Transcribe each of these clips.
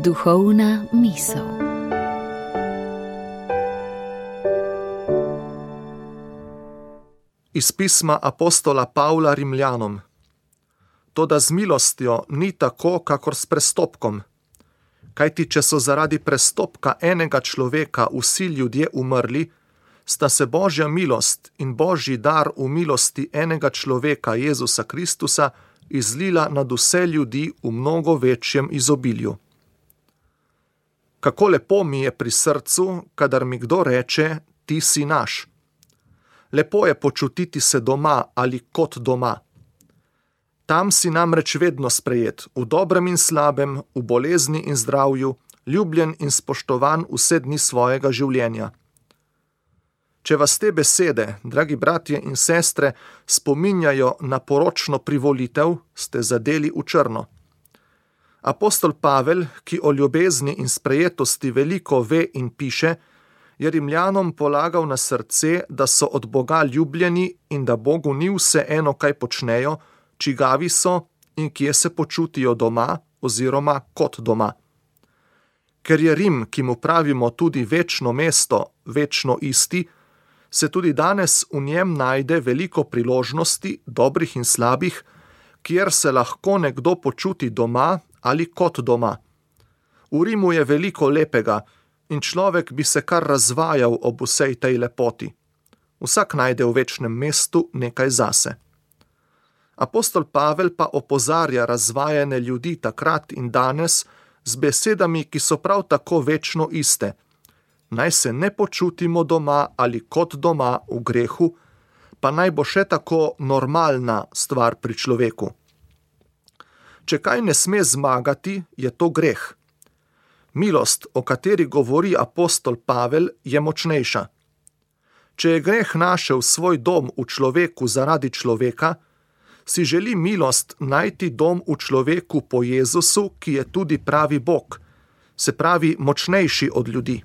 Duhovna misel. Iz pisma apostola Pavla Rimljanom. Toda z milostjo ni tako, kakor s prestopkom. Kajti, če so zaradi prestopka enega človeka vsi ljudje umrli, sta se Božja milost in Božji dar v milosti enega človeka, Jezusa Kristusa, izlila nad vse ljudi v mnogo večjem izobilju. Kako lepo mi je pri srcu, kadar mi kdo reče, ti si naš. Lepo je počutiti se doma ali kot doma. Tam si namreč vedno sprejet, v dobrem in slabem, v bolezni in zdravju, ljubljen in spoštovan vse dni svojega življenja. Če vas te besede, dragi bratje in sestre, spominjajo na poročno privolitev, ste zadeli v črno. Apostol Pavel, ki o ljubezni in sprejetosti veliko ve in piše, je Rimljanom polagal na srce, da so od Boga ljubljeni in da Bogu ni vseeno, kaj počnejo, čigavi so in kje se počutijo doma oziroma kot doma. Ker je Rim, ki mu pravimo tudi večno mesto, večno isti, se tudi danes v njem najde veliko priložnosti, dobrih in slabih, kjer se lahko nekdo počuti doma ali kot doma. V Rimu je veliko lepega in človek bi se kar razvajal ob vsej tej lepoti. Vsak najde v večnem mestu nekaj zase. Apostol Pavel pa opozarja razvajene ljudi takrat in danes z besedami, ki so prav tako večno iste. Naj se ne počutimo doma ali kot doma v grehu, pa naj bo še tako normalna stvar pri človeku. Če kaj ne sme zmagati, je to greh. Milost, o kateri govori apostol Pavel, je močnejša. Če je greh našel svoj dom v človeku zaradi človeka, si želi milost najti dom v človeku po Jezusu, ki je tudi pravi Bog, se pravi močnejši od ljudi.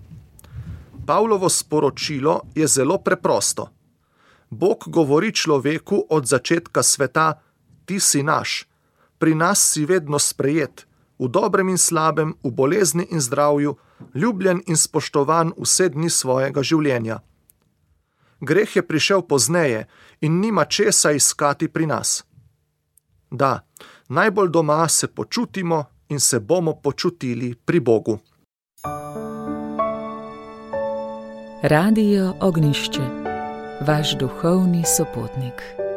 Pavlovo sporočilo je zelo preprosto. Bog govori človeku od začetka sveta, ti si naš, pri nas si vedno sprejet, v dobrem in slabem, v bolezni in zdravju, ljubljen in spoštovan vse dni svojega življenja. Greh je prišel pozneje in nima česa iskati pri nas. Da, najbolj doma se počutimo in se bomo počutili pri Bogu. Radio Ognjišče, vaš duhovni sopotnik.